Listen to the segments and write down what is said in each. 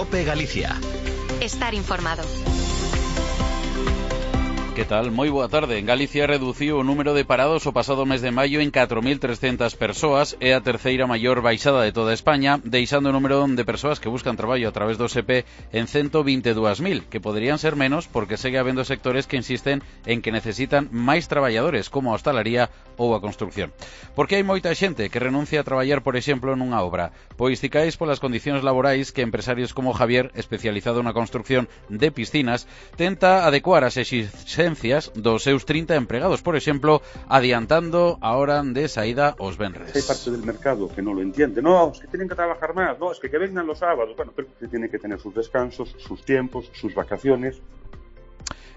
COPE Galicia. Estar informado. Que tal? Moi boa tarde. En Galicia reduciu o número de parados o pasado mes de maio en 4.300 persoas. É a terceira maior baixada de toda España, deixando o número de persoas que buscan traballo a través do SEPE en 122.000, que poderían ser menos porque segue habendo sectores que insisten en que necesitan máis traballadores, como a hostalaría ou a construcción. Porque hai moita xente que renuncia a traballar, por exemplo, nunha obra. Pois ticais polas condicións laborais que empresarios como Javier, especializado na construcción de piscinas, tenta adecuar as exigencias dos seus 30 empregados, por exemplo, adiantando a hora de saída os venres. Hay parte del mercado que no lo entiende. No, es que tienen que trabajar más. No, es que vengan los sábados. Bueno, pero se tienen que tener sus descansos, sus tiempos, sus vacaciones.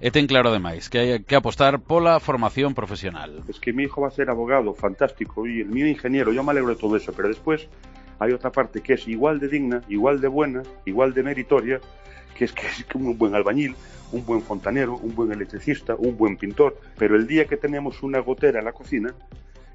E ten claro ademais que hai que apostar pola formación profesional. Es que mi hijo va a ser abogado, fantástico, y el mío ingeniero, yo me alegro de todo eso, pero después hay otra parte que es igual de digna, igual de buena, igual de meritoria, que es un buen albañil, un buen fontanero, un buen electricista, un buen pintor, pero el día que tenemos una gotera en la cocina,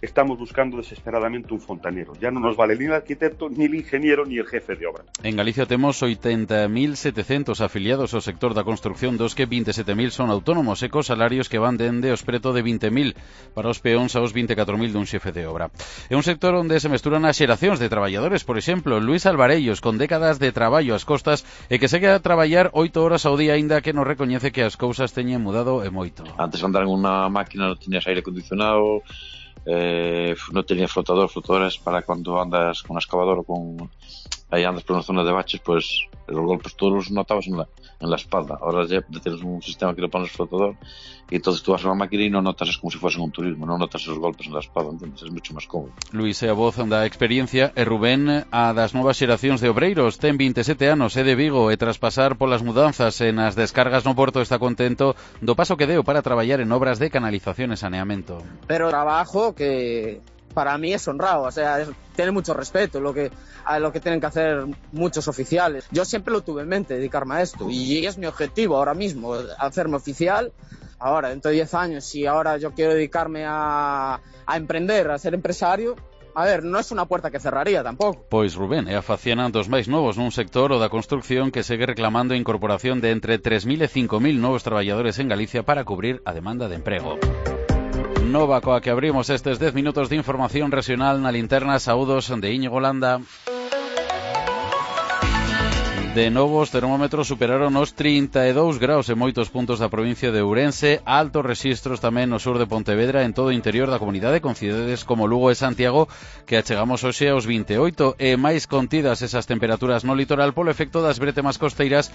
estamos buscando desesperadamente un fontanero. Ya no nos vale ni el arquitecto, ni el ingeniero, ni el jefe de obra. En Galicia temos 80.700 afiliados ao sector da construcción, dos que 27.000 son autónomos e cos salarios que van dende os preto de 20.000 para os peóns aos 24.000 dun xefe de obra. É un sector onde se mesturan as xeracións de traballadores, por exemplo, Luis Alvarellos, con décadas de traballo ás costas e que segue a traballar 8 horas ao día, aínda que nos recoñece que as cousas teñen mudado e moito. Antes andar en unha máquina non tiñas aire acondicionado, no tenías flotadoras para cuando andas con una excavadora ahí andas por una zona de baches, pues los golpes todos los notabas en la espalda. Ahora ya tienes un sistema que le pones flotador y entonces tú vas a una máquina y no notas, es como si fuese un turismo, no notas esos golpes en la espalda, entonces es mucho más cómodo. Luis é a voz da experiencia e Rubén a das novas xeracións de obreiros. Ten 27 anos, é de Vigo e tras pasar polas mudanzas e nas descargas no porto está contento do paso que deu para traballar en obras de canalización e saneamento. Pero trabajo que para mí es honrado, o sea, tiene mucho respeto a lo que tienen que hacer muchos oficiales. Yo siempre lo tuve en mente, dedicarme a esto, y es mi objetivo ahora mismo, hacerme oficial. Ahora, dentro de 10 años, si ahora yo quiero dedicarme a emprender, a ser empresario, a ver, no es una puerta que cerraría tampouco. Pois Rubén é a faciana dos máis novos nun sector o da construcción que segue reclamando a incorporación de entre 3.000 e 5.000 novos traballadores en Galicia para cubrir a demanda de emprego. Nova coa que abrimos estes 10 minutos de información regional na linterna. Saúdos de Íñigo Landa. De novo, os termómetros superaron os 32 graus en moitos puntos da provincia de Ourense, altos rexistros tamén no sur de Pontevedra, en todo o interior da comunidade, con cidades como Lugo e Santiago, que achegamos hoxe aos 28, e máis contidas esas temperaturas no litoral polo efecto das bretemas costeiras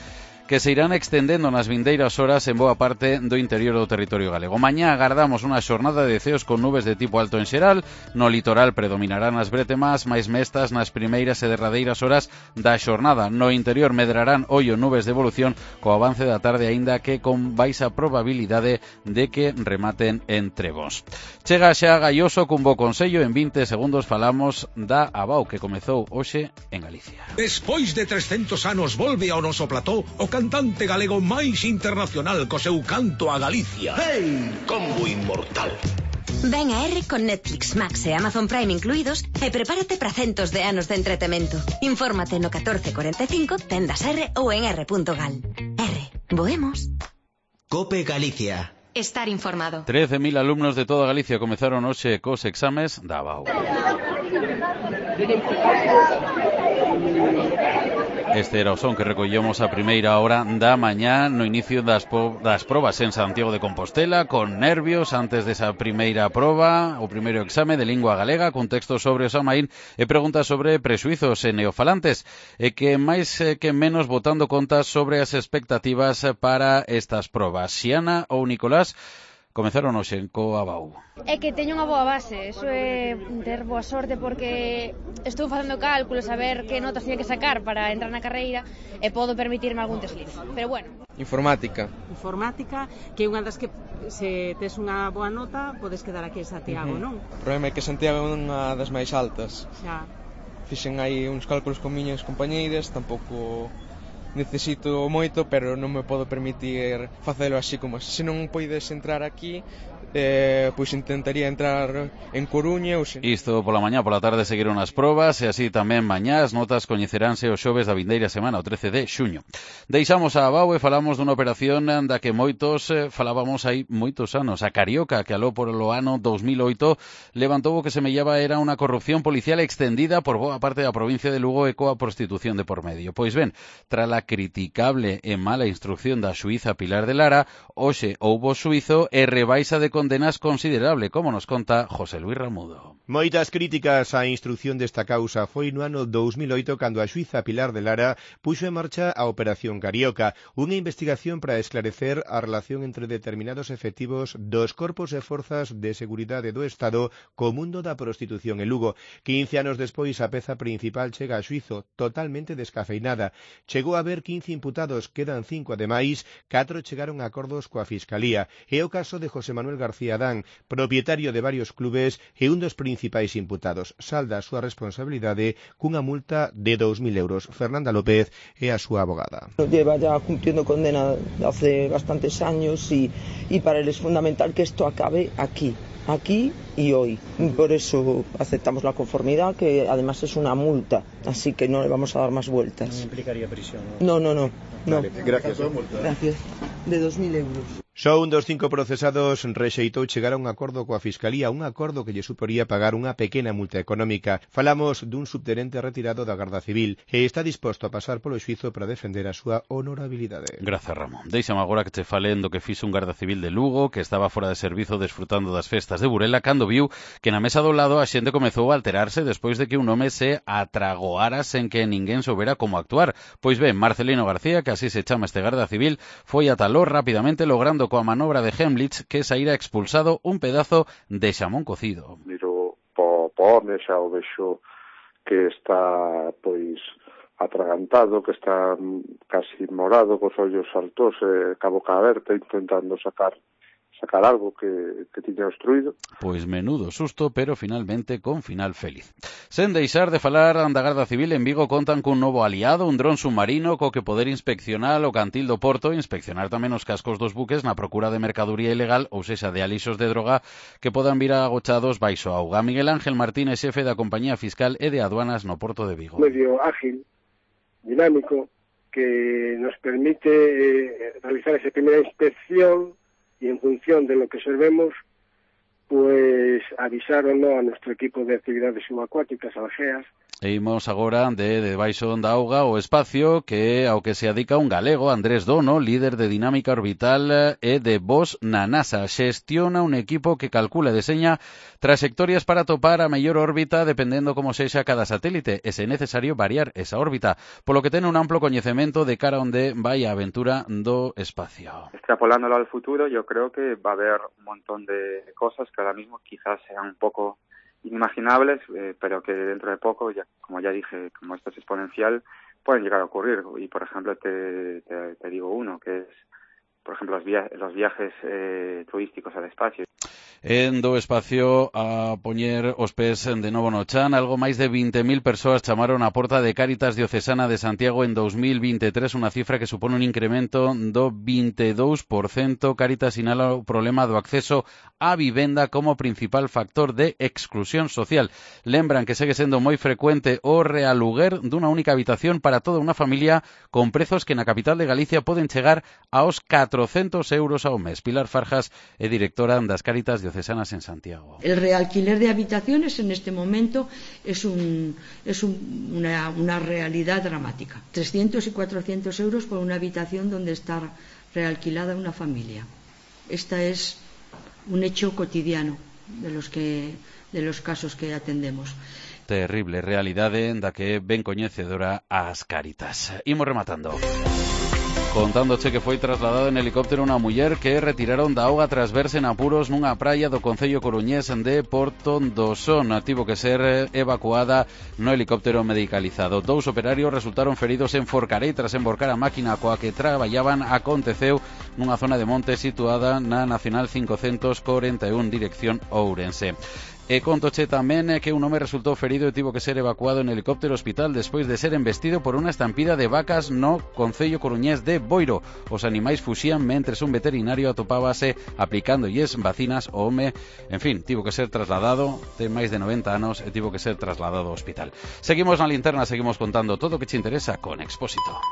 que se irán extendendo nas vindeiras horas en boa parte do interior do territorio galego. Mañá agardamos unha xornada de ceos con nubes de tipo alto en xeral, no litoral predominarán as bretemas máis mestas nas primeiras e derradeiras horas da xornada. No interior medrarán ollo nubes de evolución co avance da tarde, aínda que con baixa probabilidade de que rematen en trebos. Chega xa Gaioso cun bo consello. En 20 segundos falamos da Abao que comezou hoxe en Galicia. Despois de 300 anos volve ao noso plató o cantante galego máis internacional co seu canto a Galicia. Hey, combo inmortal. Ven a R con Netflix, Max e Amazon Prime incluídos e prepárate para centos de anos de entretemento. Infórmate no 1445, tendas R ou en r.gal. R, voemos. COPE Galicia. Estar informado. 13.000 alumnos de toda Galicia comezaron hoxe cos exames da Abao. Este era o son que recollemos a primeira hora da mañá no inicio das probas en Santiago de Compostela, con nervios antes desa primeira proba, o primeiro exame de lingua galega, con textos sobre o Samaín e preguntas sobre prexuizos e neofalantes, e que máis que menos botando contas sobre as expectativas para estas probas. Xiana ou Nicolás comezaron hoxe co Abao. É que teño unha boa base, iso é ter boa sorte, porque estou facendo cálculos a ver que notas tiña que sacar para entrar na carreira e podo permitirme algún desliz, pero bueno. Informática, que é unha das que se tes unha boa nota podes quedar aquí en Santiago, non? O problema é que Santiago é unha das máis altas. Xa. Fixen aí uns cálculos con miñas compañeiras, tampouco necesito moito, pero non me podo permitir facelo así como se non poides entrar aquí, pois intentaría entrar en Coruña ou se... Isto pola mañá, pola tarde seguiron as probas e así tamén mañá as notas coñeceránse os xoves da vindeira semana, o 13 de xuño. Deixamos a Abao e falamos dunha operación da que moitos falábamos hai moitos anos. A Carioca, que aló por o ano 2008 levantou o que semellaba era unha corrupción policial extendida por boa parte da provincia de Lugo e coa prostitución de por medio. Pois ben, tras a criticable e mala instrucción da xuíza Pilar de Lara, hoxe houbo xuízo e rebaixa de condenas considerable, como nos conta José Luis Ramudo. Moitas críticas á instrucción desta causa foi no ano 2008 cando a xuíza Pilar de Lara puxo en marcha a Operación Carioca, unha investigación para esclarecer a relación entre determinados efectivos dos corpos e forzas de seguridade do Estado co mundo da prostitución en Lugo. 15 anos despois a peza principal chega a xuízo totalmente descafeinada. Chegou a haber 15 imputados, quedan 5 ademais, 4 chegaron a acordos coa Fiscalía. É o caso de José Manuel García Adán, propietario de varios clubes e un dos principais imputados. Salda a súa responsabilidade cunha multa de 2.000 euros. Fernanda López é a súa abogada. Lleva ya cumpliendo condena hace bastantes años y para él es fundamental que esto acabe aquí y hoy. Por eso aceptamos la conformidad, que además es una multa, así que no le vamos a dar más vueltas. ¿No implicaría prisión? No. Vale, gracias. Gracias. De 2.000 euros. Só un dos 5 procesados rexeitou chegar a un acordo coa Fiscalía, un acordo que lle suporía pagar unha pequena multa económica. Falamos dun subtenente retirado da Garda Civil e está disposto a pasar polo xuízo para defender a súa honorabilidade. Grazas, Ramón. Deixame agora que te falen do que fixo un Garda Civil de Lugo que estaba fora de servizo desfrutando das festas de Burela cando viu que na mesa do lado a xente comezou a alterarse despois de que un home se atragoara sen que ninguén soubera como actuar. Pois ben, Marcelino García, que así se chama este Garda Civil, foi ataló rapidamente logrando coa manobra de Hemlich que saíra expulsado un pedazo de xamón cocido. Miro po home, xa o vexo que está pois atragantado, que está casi morado, cos ollos altos, ca boca aberta, intentando sacar algo que tiña obstruído. Pois menudo susto, pero finalmente con final feliz. Sen deixar de falar da Garda Civil, en Vigo contan cun novo aliado, un dron submarino co que poder inspeccionar o cantil do Porto, inspeccionar tamén os cascos dos buques na procura de mercaduría ilegal, ou sexa, de alixos de droga que podan vir agochados baixo auga. Miguel Ángel Martínez, xefe da Compañía Fiscal e de Aduanas no Porto de Vigo. Medio ágil, dinámico, que nos permite realizar esa primeira inspección y en función de lo que observemos, pues avisar o no a nuestro equipo de actividades subacuáticas, algeas. E imos agora de debaixo da auga o espacio que ao que se adica un galego, Andrés Dono, líder de dinámica orbital e de VOS na NASA. Xestiona un equipo que calcula e deseña trayectorias para topar a mellor órbita dependendo como sexa cada satélite e se é necesario variar esa órbita, polo que ten un amplo coñecemento de cara onde vai a aventura do espacio. Extrapolándolo al futuro, yo creo que va a haber un montón de cosas que ahora mismo quizás sean un poco inimaginables, pero que dentro de poco, ya, como ya dije, como esto es exponencial, pueden llegar a ocurrir. Y, por ejemplo, te digo uno, que es, por ejemplo, los viajes turísticos al espacio. En do espacio a poñer os pés de novo no chan, algo máis de 20.000 persoas chamaron a porta de Cáritas Diocesana de Santiago en 2023, unha cifra que supone un incremento do 22%. Cáritas sinala o problema do acceso á vivenda como principal factor de exclusión social. Lembran que segue sendo moi frecuente o realuguer dunha única habitación para toda unha familia con prezos que na capital de Galicia poden chegar aos 400 euros ao mes. Pilar Farjas é directora das Cáritas Diocesanas en Santiago. El realquiler de habitaciones en este momento es una realidad dramática. 300 y 400 euros por una habitación donde está realquilada una familia. Esta es un hecho cotidiano de los casos que atendemos. Terrible realidade da que ben coñecedora as Cáritas. Imos rematando. Contándoche que foi trasladado en helicóptero unha muller que retiraron da auga tras verse en apuros nunha praia do concello coruñés de Porto do Son. Tivo que ser evacuada no helicóptero medicalizado. 2 operarios resultaron feridos en Forcarei tras emborcar a máquina coa que traballaban. Aconteceu nunha zona de monte situada na Nacional 541 dirección Ourense. E contoche tamén que un home resultou ferido e tivo que ser evacuado en helicóptero hospital despois de ser embestido por unha estampida de vacas no concello coruñés de Boiro. Os animais fuxían mentres un veterinario atopábase aplicándolles vacinas ao home. En fin, tivo que ser trasladado, ten máis de 90 anos e tivo que ser trasladado ao hospital. Seguimos na linterna, seguimos contando todo o que che interesa con Expósito.